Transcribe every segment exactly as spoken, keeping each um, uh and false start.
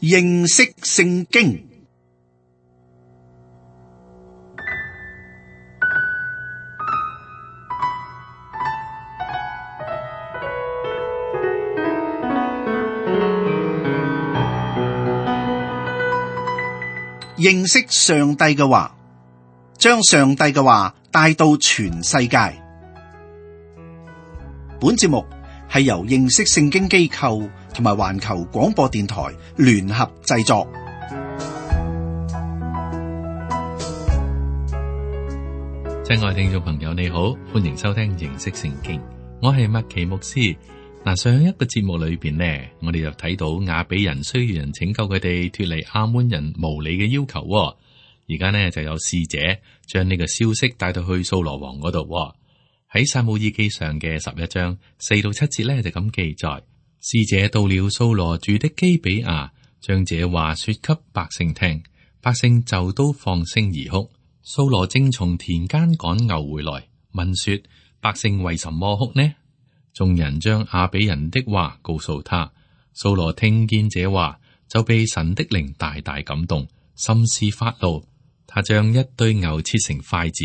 認識聖經。認識上帝嘅話，將上帝嘅話帶到全世界。本節目係由認識聖經機構同埋環球廣播電台聯合製作。親愛聽眾朋友，你好，歡迎收聽認識聖經。我係麥奇牧師。嗱，上一個節目裏邊呢，我哋就睇到亞比人需要人拯救佢哋脫離亞捫人無理嘅要求。而家呢就有使者將呢個消息帶到去掃羅王嗰度。喺撒母耳記上嘅十一章四到七節呢就咁記載：使者到了掃羅住的基比亞，將這話說給百姓聽，百姓就都放聲而哭。掃羅正從田間趕牛回來，問說：百姓為什麼哭呢？眾人將亞比人的話告訴他，掃羅聽見這話，就被神的靈大大感動，甚是發怒。他將一對牛切成筷子，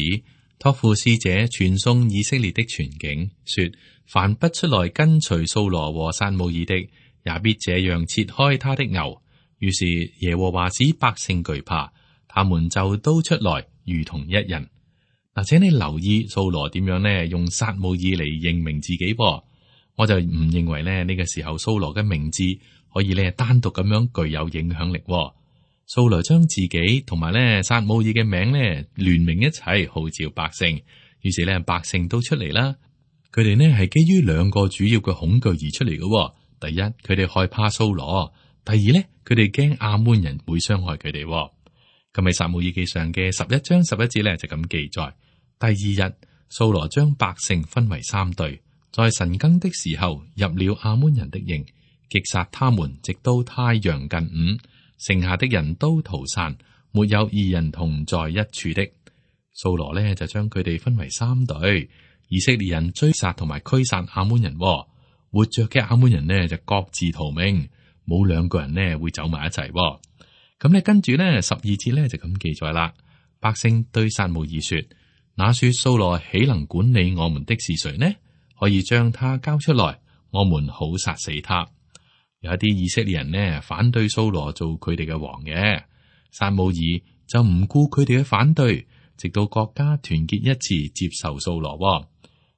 託付使者傳送以色列的全境，說：凡不出來跟隨掃羅和撒母耳的，也必這樣切開他的牛。於是耶和華使百姓懼怕，他們就都出來，如同一人。嗱，請你留意掃羅點樣呢？用撒母耳嚟認明自己噃，我就唔認為咧呢個時候掃羅嘅名字可以咧單獨咁樣具有影響力。掃羅將自己同埋咧撒母耳嘅名咧聯名一齊號召百姓，於是咧百姓都出嚟啦。佢哋呢係基於兩個主要嘅恐懼而出嚟嘅。第一，佢哋害怕掃羅；第二咧，佢哋驚亞捫人會傷害佢哋。咁喺撒母耳記上嘅十一章十一節咧就咁記載。第二日，掃羅將百姓分為三隊，在晨更的時候入了亞捫人的營，擊殺他們，直到太陽近午，剩下的人都逃散，沒有二人同在一處的。掃羅呢就將佢哋分為三隊，以色列人追殺同埋驅散亞捫人，活着嘅亞捫人呢就各自逃命，冇兩個人呢會走埋一齊。咁咧跟住呢十二節呢就咁記載啦，百姓對撒母耳說：那說掃羅豈能管理我們的是誰呢？可以將他交出來，我們好殺死他。有一啲以色列人呢反對掃羅做佢哋嘅王嘅，撒母耳就唔顧佢哋嘅反對，直到國家團結一致接受掃羅。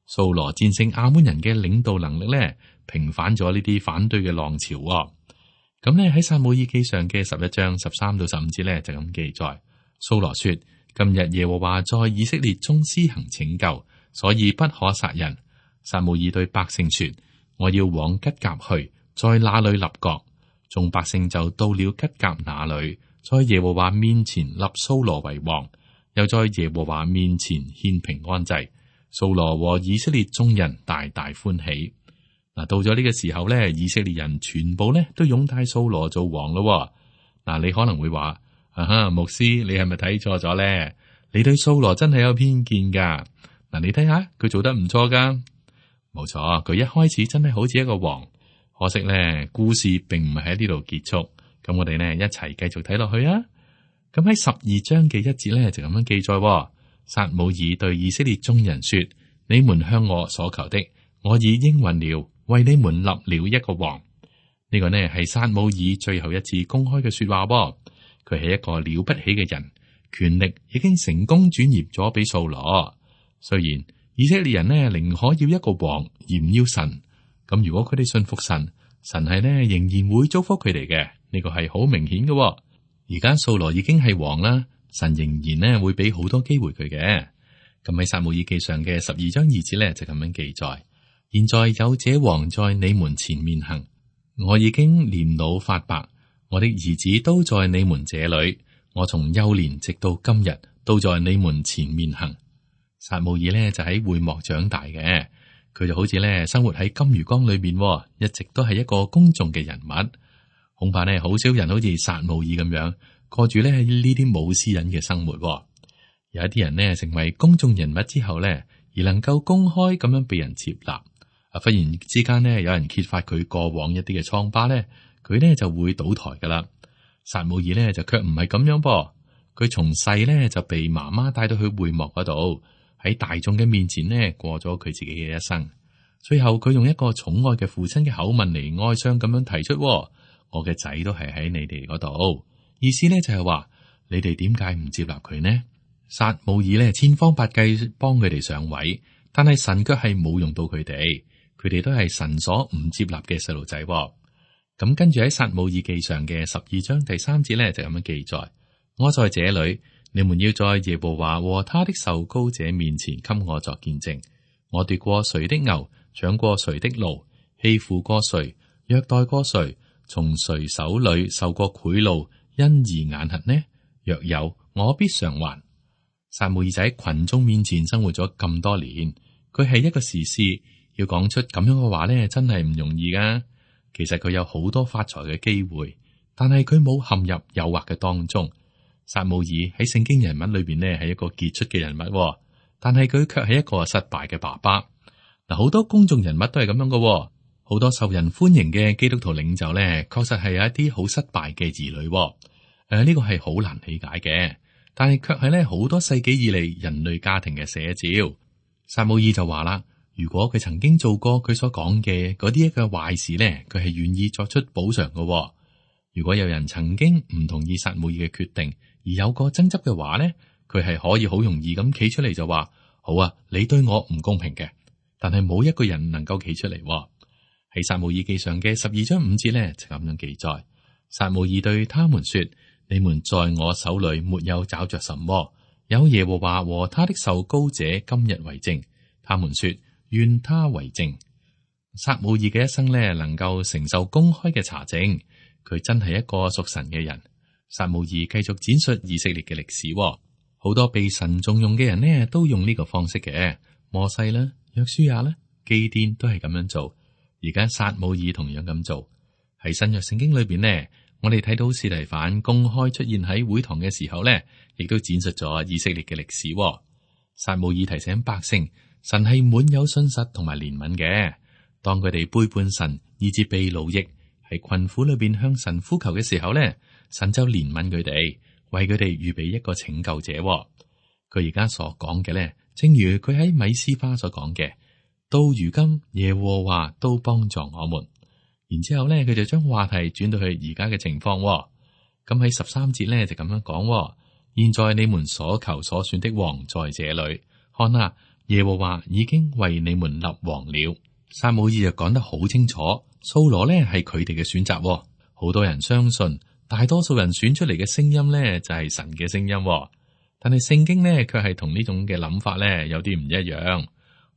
掃羅戰勝亞捫人嘅領導能力呢，平反咗呢啲反對嘅浪潮。咁呢喺撒母耳記上嘅十一章十三到十五節呢就咁記載，掃羅說：今日耶和華在以色列中施行拯救，所以不可殺人。撒母耳對百姓說：我要往吉甲去，在那裏立國。眾百姓就到了吉甲那裏，在耶和華面前立掃羅為王，又在耶和華面前獻平安祭。掃羅和以色列眾人大大歡喜。嗱，到咗呢個時候咧，以色列人全部咧都擁戴掃羅做王咯。嗱，你可能會話：啊哈，牧師，你係咪睇錯咗咧？你對掃羅真係有偏見噶。嗱，你睇下佢做得唔錯噶，冇錯，佢一開始真係好似一個王。可惜咧，故事並唔係喺呢度結束。咁我哋呢一齊繼續睇落去啊。咁喺十二章嘅一節咧就咁樣記載：撒母耳對以色列眾人說：你們向我所求的，我已應允了，為你們立了一個王。呢個呢係撒母耳最後一次公開嘅說話。佢係一個了不起嘅人，權力已經成功轉移咗俾掃羅。雖然以色列人呢寧可要一個王而唔要神，咁如果佢哋信服神，神係呢仍然會祝福佢哋嘅。呢個係好明顯嘅。而家掃羅已經係王啦，神仍然呢會俾好多機會佢嘅。咁喺撒母耳記上嘅十二章二節呢，就咁樣記載：現在有這王在你們前面行，我已經年老發白，我的兒子都在你們這裏，我從幼年直到今日都在你們前面行。撒母耳呢就喺會幕長大嘅，佢就好似呢生活喺金魚缸裏面，一直都係一個公眾嘅人物。恐怕呢好少人好似撒母耳咁樣過住呢呢啲冇私隱嘅生活。有一啲人呢成為公眾人物之後呢，而能夠公開咁樣被人接納。啊，忽然之間呢有人揭發佢過往一啲嘅瘡疤呢，佢呢就會倒台噶啦。撒母耳呢就卻唔係咁樣噃，佢從細呢就被媽媽帶到去會幕嗰度，喺大眾嘅面前呢過咗佢自己嘅一生。最後佢用一個寵愛嘅父親嘅口吻嚟哀傷咁樣提出：我嘅仔都係喺你哋嗰度。意思呢就係話，你哋點解唔接納佢呢？撒母耳呢千方百計幫佢哋上位，但係神卻係冇用到佢哋，佢哋都係神所唔接納嘅細路仔。咁跟住喺撒母耳記上嘅十二章第三節咧就咁樣記載：我在這裏，你們要在耶和華和他的受膏者面前給我作見證。我奪過誰的牛，搶過誰的驢，欺負過誰，虐待過誰，從誰手裏受過賄賂，因而眼瞎呢？若有，我必償還。撒母耳在群眾面前生活咗咁多年，佢係一個士師，要講出咁樣嘅話咧，真係唔容易噶。其實佢有好多發財嘅機會，但係佢冇陷入誘惑嘅當中。撒母耳喺聖經人物裏邊呢係一個傑出嘅人物，但係佢卻係一個失敗嘅爸爸。嗱，好多公眾人物都係咁樣嘅，好多受人歡迎嘅基督徒領袖呢，確實係有一啲好失敗嘅兒女。誒、呃，呢、這個係好難理解嘅，但係卻係咧好多世紀以嚟人類家庭嘅寫照。撒母耳就話啦。如果佢曾經做過佢所講嘅嗰啲一個壞事呢，佢係願意作出補償嘅。如果有人曾經唔同意撒母耳嘅決定而有個爭執嘅話呢，佢係可以好容易咁企出嚟就話：好啊，你對我唔公平嘅。但係冇一個人能夠企出嚟。喺撒母耳記上嘅十二章五節呢，就咁樣記載：撒母耳對他們說：你們在我手裏沒有找着什麼，有耶和華和他的受膏者今日為證。他們說：願他為證。撒母耳嘅一生呢，能夠承受公開嘅查證，佢真係一個屬神嘅人。撒母耳繼續展述以色列嘅歷史，好多被神重用嘅人呢，都用呢個方式嘅。摩西啦、約書亞啦、基甸都係咁樣做。而家撒母耳同樣咁做。喺新約聖經裏邊呢，我哋睇到司提反公開出現喺會堂嘅時候呢，亦都展述咗以色列嘅歷史。撒母耳提醒百姓，神係滿有信實同埋憐憫嘅。當佢哋背叛神，以致被奴役，喺困苦裏邊向神呼求嘅時候呢，神就憐憫佢哋，為佢哋預備一個拯救者。佢而家所講嘅呢，正如佢喺米斯巴所講嘅，到如今耶和華都幫助我們。然之後呢，佢就將話題轉到去而家嘅情況。咁喺十三節呢，就咁樣講：現在你們所求所選的王在這裏，看啊！耶和華已經為你們立王了。撒母耳就講得好清楚，掃羅呢係佢哋嘅選擇。好多人相信，大多數人選出嚟嘅聲音呢就係神嘅聲音。但係聖經呢卻係同呢種嘅諗法呢有啲唔一樣。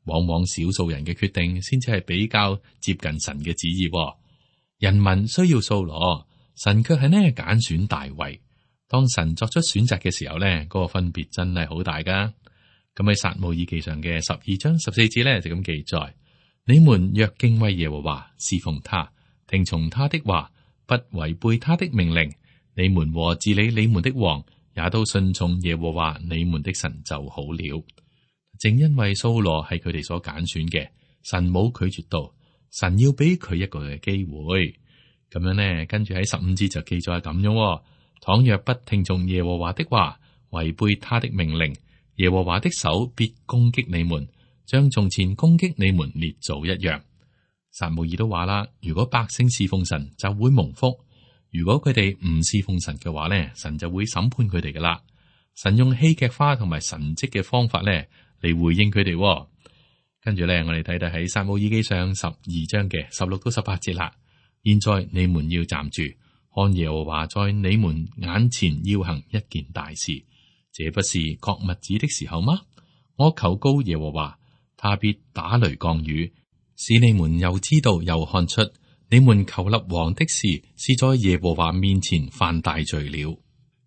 往往少數人嘅決定先至係比較接近神嘅旨意。人民需要掃羅，神卻係呢揀選大衛。當神作出選擇嘅時候呢，嗰個分別真係好大噶。咁喺撒母耳記上嘅十二章十四節咧就咁記載：你們若敬畏耶和華，侍奉他，聽從他的話，不違背他的命令，你們和治理你們的王也都順從耶和華你們的神就好了。正因為掃羅係佢哋所揀選嘅，神冇拒絕到，神要俾佢一個嘅機會。咁樣呢，跟住喺十五節就記載咁樣：倘若不聽從耶和華的話，違背他的命令，耶和華的手必攻擊你們，像從前攻擊你們列祖一樣。撒母耳都話啦，如果百姓侍奉神就會蒙福，如果佢哋唔侍奉神嘅話咧，神就會審判佢哋噶啦。神用戲劇化同埋神蹟嘅方法咧嚟回應佢哋。跟住咧，我哋睇睇喺撒母耳記上十二章嘅十六到十八節啦。現在你們要站住，看耶和華在你們眼前要行一件大事。這不是割麥子的時候嗎？我求告耶和華，他必打雷降雨，使你們又知道又看出，你們求立王的事是在耶和華面前犯大罪了。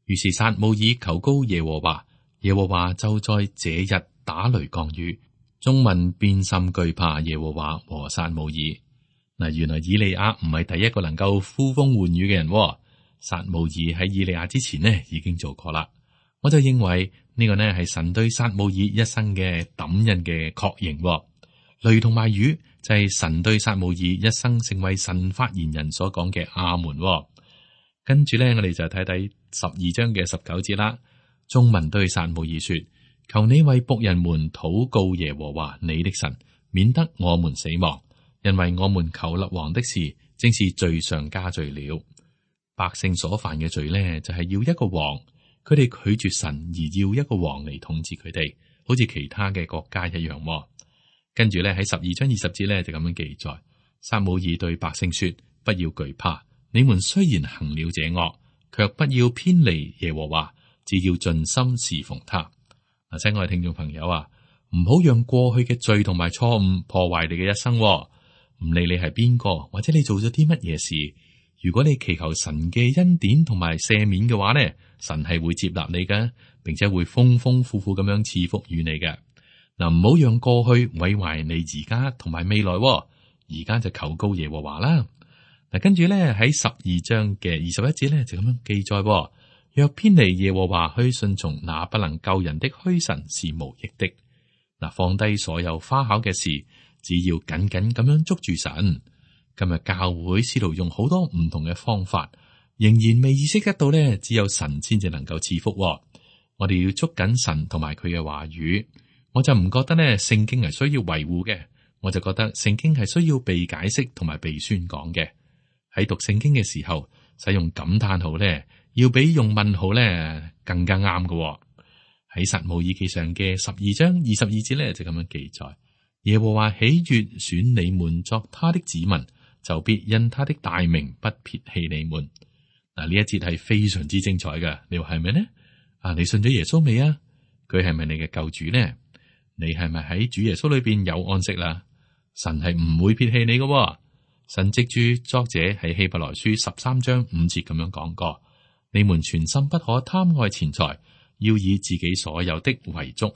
於是撒母耳求告耶和華，耶和華就在這日打雷降雨，眾民便甚懼怕耶和華和撒母耳。嗱，原來以利亞唔係第一個能夠呼風喚雨嘅人，撒母耳喺以利亞之前呢已經做過啦。我就認為呢個呢係神對撒母耳一生嘅抌印嘅確認。雷同埋雨就係神對撒母耳一生成為神發言人所講嘅阿門。跟住咧，我哋就睇睇十二章嘅十九節啦。眾民對撒母耳說：求你為僕人們禱告耶和華你的神，免得我們死亡，因為我們求立王的事，正是罪上加罪了。百姓所犯嘅罪呢，就係要一個王，佢哋拒絕神而要一個王嚟統治佢哋，好似其他嘅國家一樣。跟住咧喺十二章二十節咧就咁樣記載：撒母耳對百姓說：不要懼怕。你們雖然行了這惡，卻不要偏離耶和華，只要盡心侍奉他。嗱，親愛嘅聽眾朋友啊，唔好讓過去嘅罪同埋錯誤破壞你嘅一生。唔理你係邊個，或者你做咗啲乜嘢事，如果你祈求神嘅恩典同埋赦免嘅話呢，神係會接納你嘅，並且會豐豐富富咁樣賜福於你嘅。嗱，唔好讓過去毀壞你而家同埋未來。而家就求告耶和華啦。嗱，跟住咧喺十二章嘅二十一節咧就咁樣記載：若偏離耶和華去順從那不能救人的虛神是無益的。嗱，放低所有花巧嘅事，只要緊緊咁樣捉住神。今日教會試圖用好多唔同嘅方法，仍然未意識得到咧，只有神先至能夠賜福。我哋要捉緊神同埋佢嘅話語。我就唔覺得咧聖經係需要維護嘅，我就覺得聖經係需要被解釋同埋被宣講嘅。喺讀聖經嘅時候，使用感嘆號咧，要比用問號咧更加啱嘅。喺撒母耳記上嘅十二章二十二節咧就咁樣記載：耶和華喜悅選你們作他的子民，就必因他的大名不撇棄你們。嗱，呢一節係非常之精彩嘅，你話係咪呢？啊，你信咗耶穌未啊？佢係咪你嘅救主呢？你係咪喺主耶穌裏邊有安息啦？神係唔會撇棄你嘅。神藉住作者喺希伯來書十三章五節咁樣講過：你們全心不可貪愛錢財，要以自己所有的為足，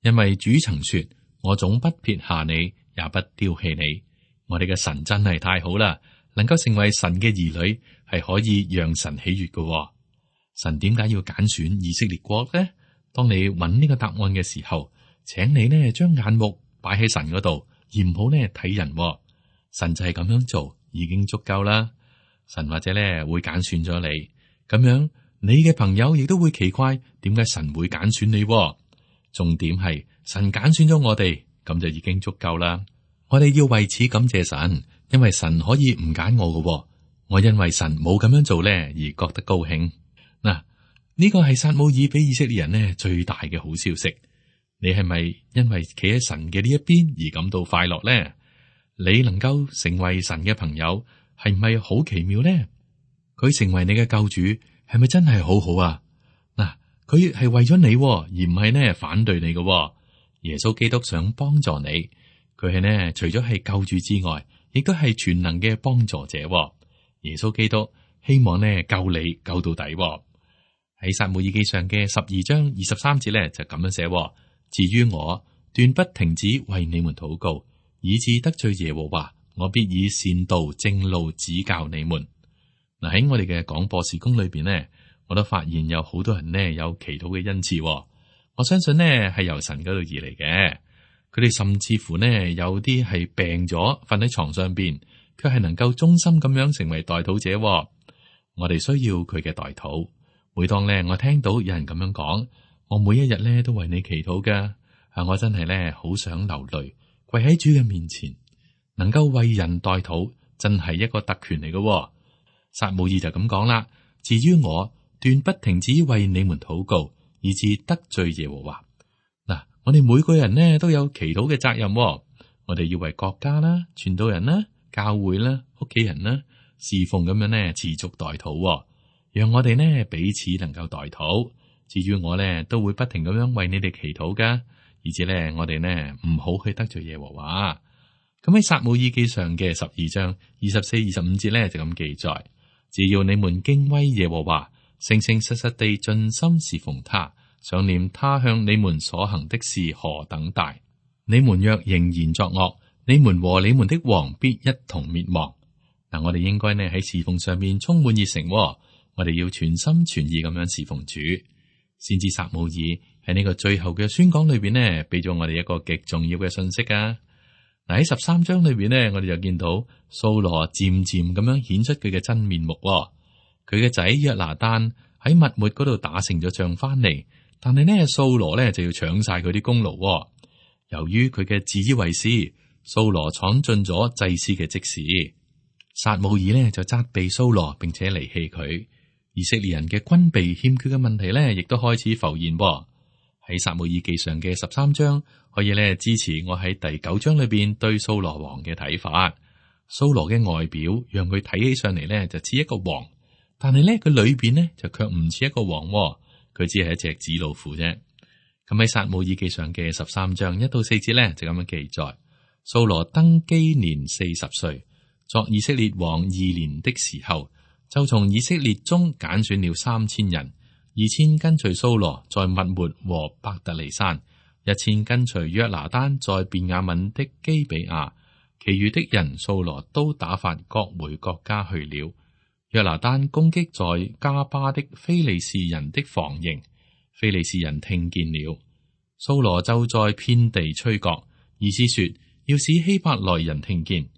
因為主曾說：我總不撇下你，也不丟棄你。我哋嘅神真係太好啦，能夠成為神嘅兒女，係可以讓神喜悅嘅。神點解要揀選以色列國呢？當你揾呢個答案嘅時候，請你呢將眼目擺喺神嗰度，而唔好呢睇人。神就係咁樣做，已經足夠啦。神或者咧會揀選咗你，咁樣你嘅朋友亦都會奇怪，點解神會揀選你？重點係神揀選咗我哋，咁就已經足夠啦。我哋要為此感謝神，因為神可以唔揀我嘅，我因為神冇咁樣做咧而覺得高興。嗱，呢個係撒母耳俾以色列人呢最大嘅好消息。你係咪因為企喺神嘅呢一邊而感到快樂呢？你能夠成為神嘅朋友，係唔係好奇妙呢？佢成為你嘅救主，係咪真係好好啊？嗱，佢係為咗你，而唔係呢反對你嘅。耶穌基督想幫助你，佢係呢除咗係救主之外，亦都係全能嘅幫助者。耶穌基督希望呢救你救到底。喺撒母耳記上嘅十二章二十三節咧就咁樣寫：至於我，斷不停止為你們禱告，以致得罪耶和華，我必以善道正路指教你們。嗱，喺我哋嘅廣播事工裏邊呢，我都發現有好多人呢有祈禱嘅恩賜，我相信呢係由神嗰度而嚟嘅。佢哋甚至乎呢有啲係病咗，瞓喺床上邊，卻係能夠忠心咁樣成為代禱者。我哋需要佢嘅代禱。每當呢我聽到有人咁樣講，我每一日呢都為你祈禱噶。啊，我真係呢好想流淚，跪喺主嘅面前，能夠為人代禱，真係一個特權嚟嘅。撒母耳就咁講啦。至於我，斷不停止為你們禱告，以致得罪耶和華。嗱，我哋每個人呢都有祈禱嘅責任。我哋要為國家啦、傳道人啦、教會啦、屋企人啦侍奉咁樣呢持續代禱，讓我哋呢彼此能夠代禱。至於我呢，都會不停咁樣為你哋祈禱噶，而且呢，我哋呢唔好去得罪耶和華。咁喺撒母耳記上嘅十二章二十四、二十五節呢，就咁記載：只要你們敬畏耶和華，誠誠實實地盡心侍奉他，想念他向你們所行的事何等大。你們若仍然作惡，你們和你們的王必一同滅亡。嗱，我哋應該呢喺侍奉上面充滿熱誠，我哋要全心全意咁樣侍奉主。先知撒母耳喺呢個最後嘅宣講裏邊呢，俾咗我哋一個極重要嘅信息啊！嗱，喺十三章裏邊呢，我哋就見到掃羅漸漸咁樣顯出佢嘅真面目。佢嘅仔約拿單喺密抹嗰度打勝咗仗翻嚟，但係呢，掃羅呢就要搶晒佢啲功勞。由於佢嘅自以為是，掃羅闖進咗祭司嘅職事。撒母耳呢就責備掃羅，並且離棄佢。以色列人嘅軍備欠缺嘅問題呢，亦都開始浮現。喺撒母耳記上嘅十三章，可以呢支持我喺第九章裏邊對掃羅王嘅睇法。掃羅嘅外表讓佢睇起上嚟呢就似一個王，但係呢佢裏邊呢就卻唔似一個王，佢只係一隻紙老虎啫。咁喺撒母耳記上嘅十三章一到四節呢，就咁樣記載：掃羅登基年四十歲，作以色列王二年的時候，就從以色列中揀選了三千人，二千跟隨掃羅在密抹和伯特利山，一千跟隨約拿單在便雅憫的基比亞，其餘的人掃羅都打發各回各家去了。約拿單攻擊在加巴的非利士人的防營，非利士人聽見了，掃羅就在遍地吹角，意思說要使希伯來人聽見。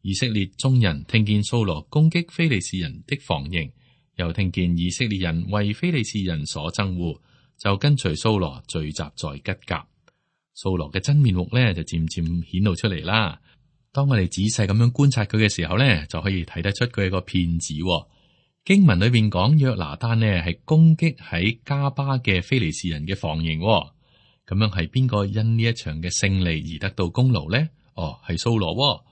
以色列眾人聽見掃羅攻擊非利士人的防營，又聽見以色列人為非利士人所憎惡，就跟隨掃羅聚集在吉甲。掃羅嘅真面目呢，就漸漸顯露出嚟啦。當我哋仔細咁樣觀察佢嘅時候呢，就可以睇得出佢係個騙子。經文裏邊講約拿單呢係攻擊喺加巴嘅非利士人嘅防營，咁樣係邊個因呢一場嘅勝利而得到功勞呢？哦，係掃羅。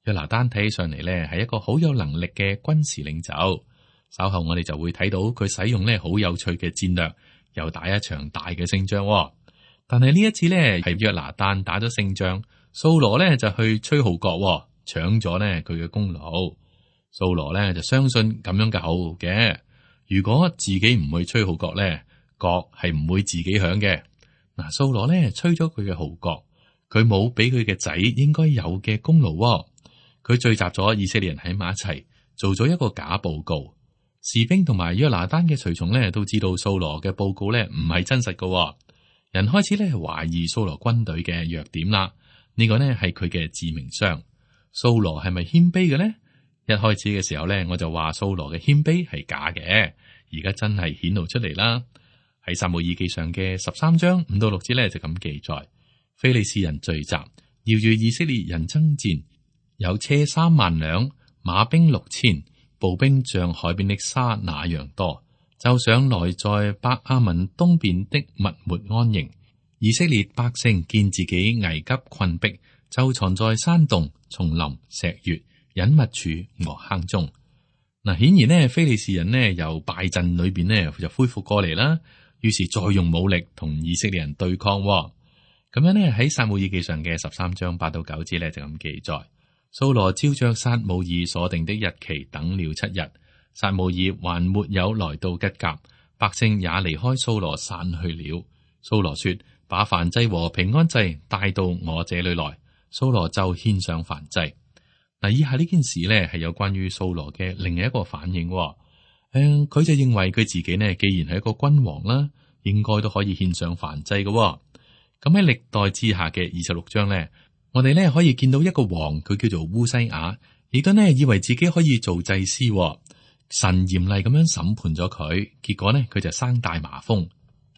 約拿單睇起上嚟呢係一個好有能力嘅軍事領袖。稍後我哋就會睇到佢使用呢好有趣嘅戰略，又打一場大嘅勝仗。但係呢一次呢係約拿單打咗勝仗，掃羅呢就去吹號角，搶咗呢佢嘅功勞。掃羅呢就相信咁樣嘅口號嘅，如果自己唔去吹號角呢，角係唔會自己響嘅。嗱，掃羅呢吹咗佢嘅號角，佢冇俾佢嘅仔應該有嘅功勞。佢聚集咗以色列人喺埋一齊，做咗一個假報告。士兵同埋約拿單嘅隨從呢都知道掃羅嘅報告呢唔係真實嘅。人開始呢懷疑掃羅軍隊嘅弱點啦。呢個呢係佢嘅致命傷。掃羅係咪謙卑嘅呢？一開始嘅時候呢，我就話掃羅嘅謙卑係假嘅，而家真係顯露出嚟啦。喺撒母耳記上嘅十三章五到六節呢就咁記載：非利士人聚集，要與以色列人爭戰。有車三萬輛，馬兵六千，步兵像海邊的沙那樣多，就上來在伯亞文東邊的密抹安營。以色列百姓見自己危急困迫，就藏在山洞、叢林、石穴、隱密處和坑中。嗱，顯然呢，非利士人呢由敗陣裏邊呢就恢復過嚟啦，於是再用武力同以色列人對抗。咁樣呢，喺撒母耳記上嘅十三章八到九節呢就咁記載。掃羅照着撒母耳所定的日期等了七日，撒母耳還沒有來到吉甲，百姓也離開掃羅散去了。掃羅說：把燔祭和平安祭帶到我這裏來。掃羅就獻上燔祭。嗱，以下呢件事呢係有關於掃羅嘅另一個反應。誒、嗯，佢就認為佢自己呢，既然係一個君王啦，應該都可以獻上燔祭嘅。咁喺歷代志下嘅二十六章呢。我哋咧可以見到一個王，佢叫做烏西雅，亦都呢以為自己可以做祭司。神嚴厲咁樣審判咗佢，結果呢佢就生大麻風。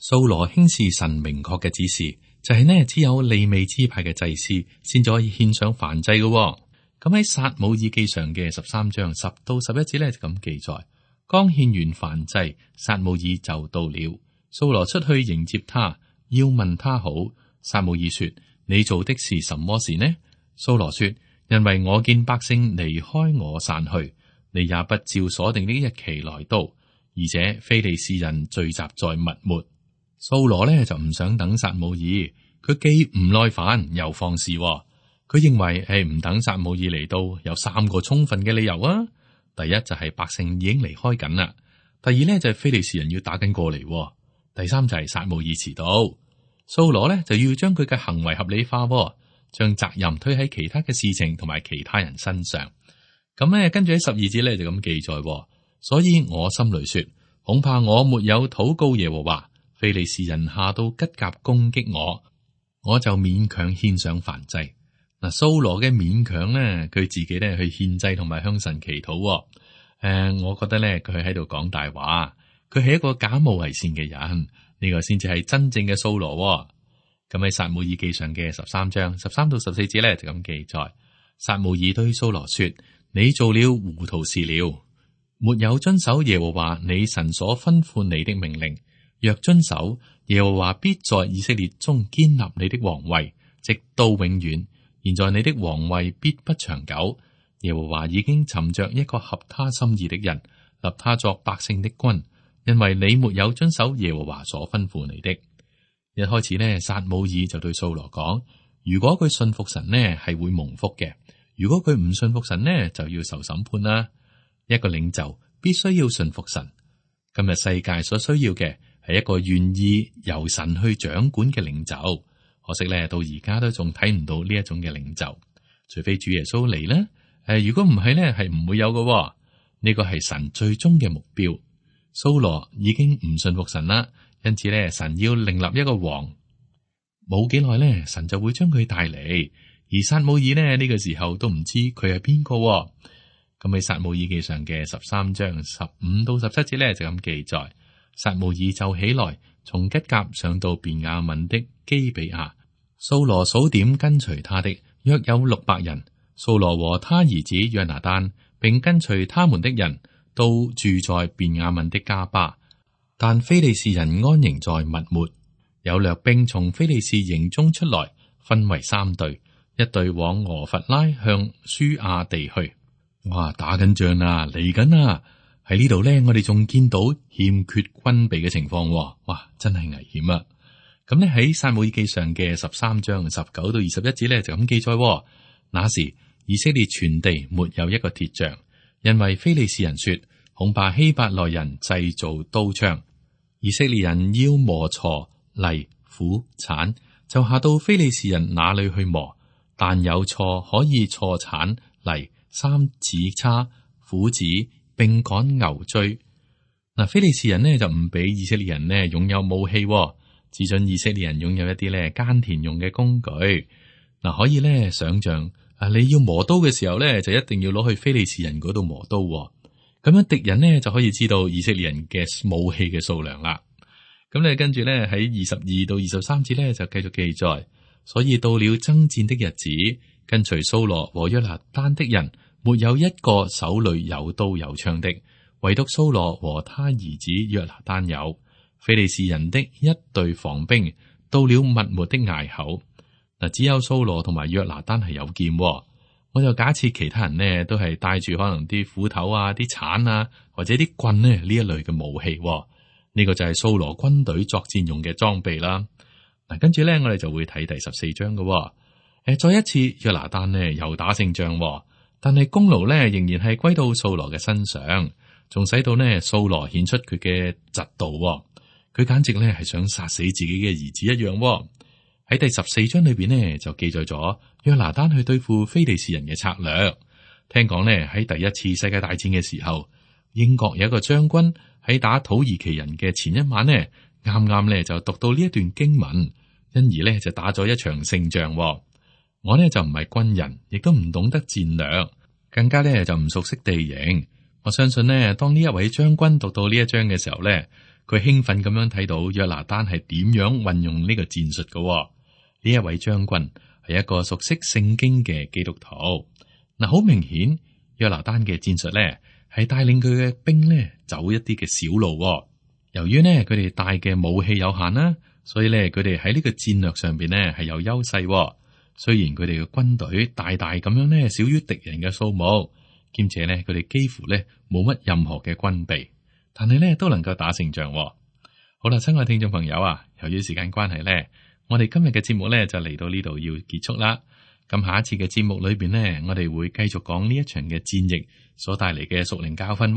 掃羅輕視神明確嘅指示，就係呢只有利未支派嘅祭司先至可以獻上燔祭嘅。咁喺撒母耳記上嘅十三章十到十一節呢就咁記載：剛獻完燔祭，撒母耳就到了。掃羅出去迎接他，要問他好。撒母耳說：你做的是什麼事呢？掃羅說：因為我見百姓離開我散去，你也不照所定的日期來到，而且非利士人聚集在密抹。掃羅呢就唔想等撒母耳，佢既唔耐煩又放肆。佢認為係唔等撒母耳嚟到，有三個充分嘅理由啊。第一就係百姓已經離開緊啦，第二呢就係非利士人要打緊過嚟，第三就係撒母耳遲到。掃羅呢就要將佢嘅行為合理化，將責任推喺其他嘅事情同埋其他人身上。咁呢跟住喺十二節呢就咁記載，所以我心裏說，恐怕我沒有禱告耶和華，非利士人下到吉甲攻擊我，我就勉強獻上燔祭。嗱，掃羅嘅勉強呢，佢自己呢去獻祭同埋向神祈禱。呃，我覺得咧佢喺度講大話，佢係一個假冒為善嘅人，呢、這個先至係真正嘅掃羅、哦。咁喺撒母耳記上嘅十三章十三到十四節咧就咁記載：撒母耳對掃羅說：你做了糊塗事了，沒有遵守耶和華你神所吩咐你的命令。若遵守，耶和華必在以色列中堅立你的王位，直到永遠。現在你的王位必不長久。耶和華已經尋着一個合他心意的人，立他作百姓的君，因為你沒有遵守耶和華所吩咐你的。一開始呢，撒母耳就對掃羅講：如果佢信服神呢，係會蒙福嘅；如果佢唔信服神呢，就要受審判啦。一個領袖必須要信服神。今日世界所需要嘅係一個願意由神去掌管嘅領袖。可惜咧，到而家都仲睇唔到呢一種嘅領袖，除非主耶穌嚟咧。誒，如果唔係咧，係唔會有嘅。呢個係神最終嘅目標。掃羅已經唔信服神啦。因此咧，神要另立一個王，冇幾耐咧，神就會將佢帶嚟。而撒母耳呢，呢個時候都唔知佢係邊個。咁喺撒母耳記上嘅十三章十五到十七節咧就咁記載：撒母耳就起來，從吉甲上到便雅憫的基比亞。掃羅數點跟隨他的約有六百人。掃羅和他兒子約拿單並跟隨他們的人都住在便雅憫的迦巴。但非利士人安營在密抹，有掠兵從非利士營中出來，分為三隊，一隊往俄弗拉向舒亞地去。哇，打緊仗啊，嚟緊啊！喺呢度咧，我哋仲見到欠缺軍備嘅情況。哇，真係危險啊！咁咧喺撒母耳記上嘅十三章十九到二十一節咧就咁記載：那時以色列全地沒有一個鐵匠，因為非利士人說，恐怕希伯來人製造刀槍。以色列人要磨鋤、犁、斧、鏟，就下到非利士人那裏去磨。但有鋤可以鋤鏟、犁、三子叉、斧子，並趕牛追。嗱，非利士人呢就唔俾以色列人呢擁有武器，只准以色列人擁有一啲咧耕田用嘅工具。嗱，可以咧想象啊，你要磨刀嘅時候咧，就一定要攞去非利士人嗰度磨刀。咁樣敵人呢就可以知道以色列人嘅武器嘅數量啦。咁咧跟住咧喺二十二到二十三節咧就繼續記載，所以到了爭戰的日子，跟隨掃羅和約拿單的人沒有一個手裏有刀有槍的，唯獨掃羅和他兒子約拿單有。非利士人的一隊防兵到了密抹的隘口，嗱，只有掃羅同埋約拿單係有劍。我就假設其他人呢都係帶住可能啲斧頭啊、啲鏟啊或者啲棍呢呢一類嘅武器。呢個就係掃羅軍隊作戰用嘅裝備啦。嗱，跟住咧我哋就會睇第十四章嘅。誒，再一次約拿單呢又打勝仗，但係功勞咧仍然係歸到掃羅嘅身上，仲使到呢掃羅顯出佢嘅嫉妒。佢簡直咧係想殺死自己嘅兒子一樣。喺第十四章裏邊呢，就記載咗約拿單去對付非利士人嘅策略。聽講呢，喺第一次世界大戰嘅時候，英國有一個將軍喺打土耳其人嘅前一晚呢，啱啱呢就讀到呢一段經文，因而呢就打咗一場勝仗。我呢就唔係軍人，亦都唔懂得戰略，更加呢就唔熟悉地形。我相信呢，當呢一位將軍讀到呢一章嘅時候呢，佢興奮咁樣睇到約拿單係點樣運用呢個戰術嘅。呢一位將軍係一個熟悉聖經嘅基督徒。嗱，好明顯約拿單嘅戰術咧係帶領佢嘅兵咧走一啲嘅小路。由於呢，佢哋帶嘅武器有限啦，所以咧佢哋喺呢個戰略上邊咧係有優勢。雖然佢哋嘅軍隊大大咁樣咧少於敵人嘅數目，兼且咧佢哋幾乎咧冇乜任何嘅軍備，但係咧都能夠打勝仗。好啦，親愛聽眾朋友啊，由於時間關係咧，我哋今日嘅節目咧就嚟到呢度要結束啦。咁下一次嘅節目裏邊呢，我哋會繼續講呢一場嘅戰役所帶嚟嘅屬靈教訓。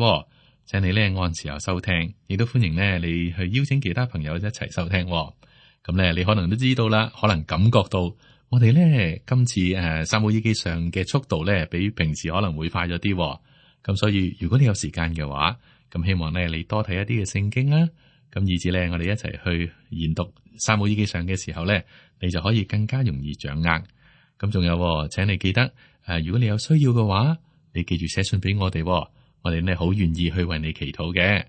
請你咧按時候收聽，亦都歡迎呢你去邀請其他朋友一齊收聽。咁咧，你可能都知道啦，可能感覺到我哋咧今次誒撒母耳記上嘅速度咧比平時可能會快咗啲。咁所以如果你有時間嘅話，咁希望咧你多睇一啲嘅聖經啦。咁以至咧，我哋一齊去研讀撒母耳記上嘅時候咧，你就可以更加容易掌握。咁仲有，請你記得誒，如果你有需要嘅話，你記住寫信俾我哋。我哋呢好願意去為你祈禱嘅。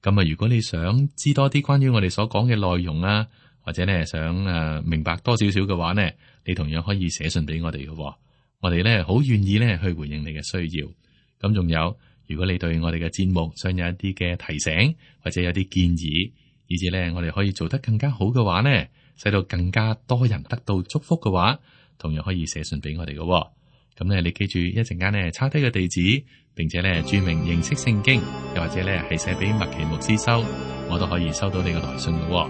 咁啊，如果你想知多啲關於我哋所講嘅內容啊，或者呢想誒明白多少少嘅話呢，你同樣可以寫信俾我哋嘅。我哋呢好願意呢去回應你嘅需要。咁仲有，如果你對我哋嘅節目想有一啲嘅提醒，或者有啲建議，以至呢我哋可以做得更加好嘅話呢，使到更加多人得到祝福嘅話，同樣可以寫信俾我哋嘅。咁呢，你記住一陣間呢抄低個地址，並且呢注明認識聖經，又或者呢係寫俾麥奇牧師收，我都可以收到你嘅來信嘅。我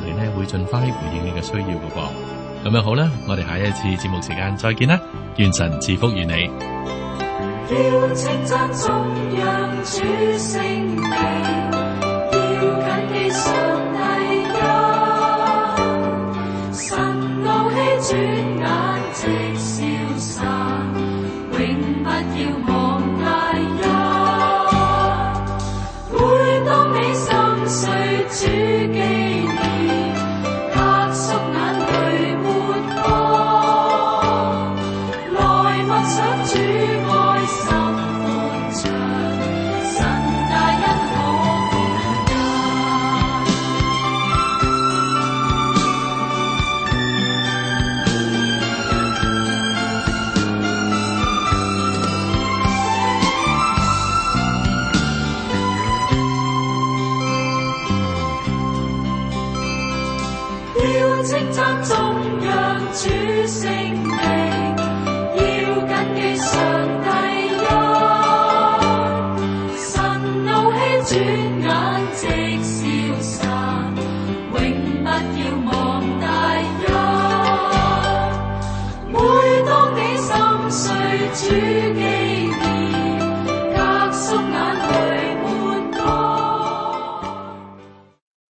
哋呢會盡快回應你嘅需要嘅。咁樣好啦，我哋下一次節目時間再見啦，願神賜福於你。要稱讚頌揚主聖名，要謹記上帝恩，神怒氣轉眼即消散，永不要忘大恩。每當你心碎主紀念，壓縮眼淚沒光，來默想主愛心寬長，神大恩可共間。要稱讚頌揚主聖名，要謹記上帝恩，神怒氣轉眼即消散，